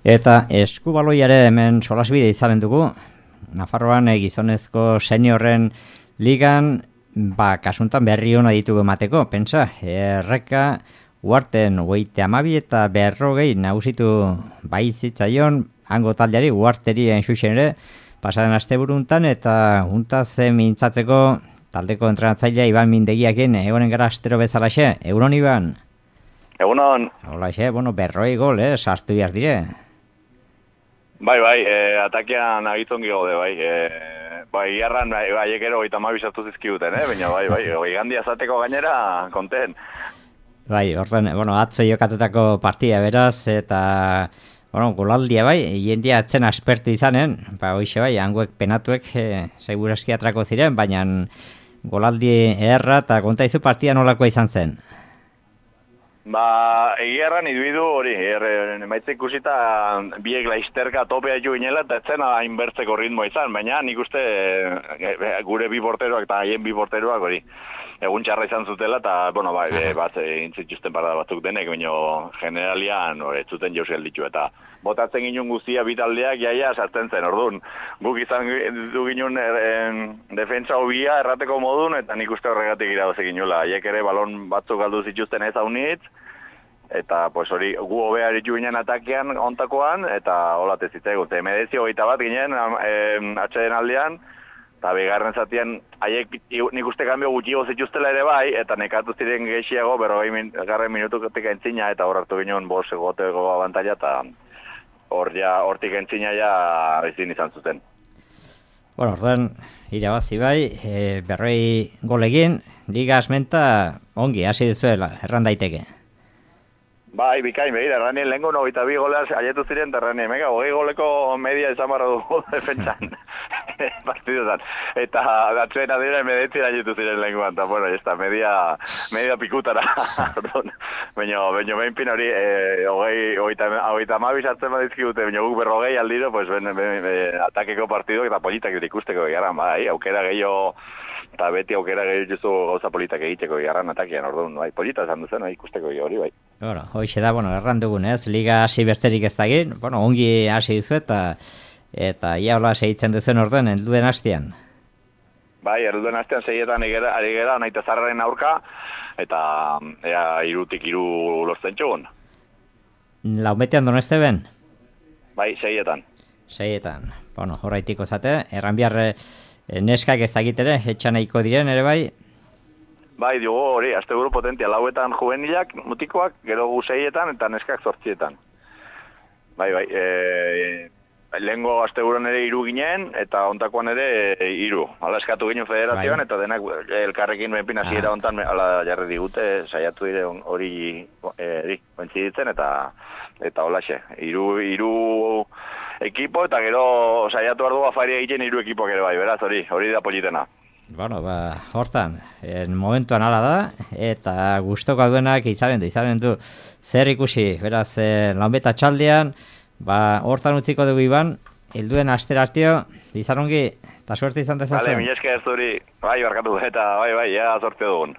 Eta eskubaloiare hemen solasbide izanen dugu. Nafarroan gizonezko seniorren ligan, kasuntan berri hona ditugu emateko, pentsa, Erreka Uarten 32 eta 40 nagusitu zitzaion hango taldeari Uarteri enxuxen ere, pasaren asteburuntan eta untaz mintzatzeko taldeko entrenatzailea Iban Mindegiakin egonen gara astero bezalaxe. Egunon, Iban? Egunon. Holaxe, 40 gol, sartu behar dire. Bai, atakean agitzongi gaude, bai, iarran, aiekero 32 sartu zizkiguten, baina bai, gandia zateko gainera, konten. Bai, orduan, atzo jokatutako partia beraz, eta, golaldia bai, jendia atzen aspertu izanen, hoixe bai, hangoek penatuek seguraski atrako ziren, baina golaldi erra eta konta izu partia nolakoa izan zen. Egiarran iduidu hori, emaitze ikusita biek laizterka topea jo ginela, eta etzen hainbertzeko ritmoa izan, baina nik uste gure bi porteroak eta haien bi porteroak hori egun txarra izan zutela, eta, bat intzituzten parada batzuk denek, baina generalian ez zuten jauzkel ditu, eta botatzen ginen guztia bitaldeak jaia sartzen zen, orduan. Guk izan du ginen defentsa hobia errateko modun, eta nik uste horregatik iradoze ginula. Haiek ere balon batzuk galdu zituzten ez haunitz, eta hori gu hobea eritu ginen atakean ontakoan, eta hola tezitzaigun. Medezio 21 ginen atxeden aldean, eta begarren zatian, haiek nik uste kanbio gutxiago zituztela ere bai, eta nekatu ziren gehiago, 40 minututik entzina, eta hor hartu ginen bos egoteko abantaila, eta hortik entzina ja ezin izan zuten. Orduan, irabazi bai, 40 golegin, liga asmenta ongi, hasi duzuela, erran daiteke. Bai, bikain, behira, erranien lehenko 22 goleaz aietu ziren, eta erranien, 20 goleko media izan barra dugu defentsan partiduzan. Eta datzuen adira emedetzien aietu ziren lehenkoan, eta media pikutara. Baina behin pin hori, hogeita mabiz hartzen badizkigute, baina guk 40 aldiro, atakeko partidok eta politak ikusteko egaran, aukera gehiago, eta beti aukera gehiago gauza politak egiteko egaran atakean, orduan, polita esan duzen, ikusteko hori, bai. Hoxe da, erran dugun, liga hasi besterik ez dagin, ongi hasi dizu eta ia hola segitzen duzen orduan, helduen hastean. Bai, helduen hastean segietan ari gera, naita zarraren aurka, eta ea 3-3 lortzen txugun. Laumetean doneste ben? Bai, segietan. Segietan, horreitiko zate, erran behar neskak ez dakitere, etxan nahiko diren ere bai? Bai, dugu hori, azte buru potentia, lauetan juvenilak, mutikoak, gero gu 6etan eta neskak 8etan. Bai, lehengo azte buruan ere 3 ginen, eta ontakoan ere 3. Hala eskatu ginen federazioan, eta denak elkarrekin benpina ziera ontan, hala jarri digute, saiatu dire hori bentziditzen, eta holaxe. 3 ekipo, eta gero saiatu ardu afaria egiten 3 ekipoak ere bai, beraz, hori da politena. Hortan, momentuan ala da, eta gustoko duenak izanen du zer ikusi, beraz, lanbeta txaldean, hortan utziko dugu Iban, helduen astera artio, izan ongi, eta suerte izan dezazuen. Bale, mileske ez duri, bai, barkatu, eta bai, sortze dugun.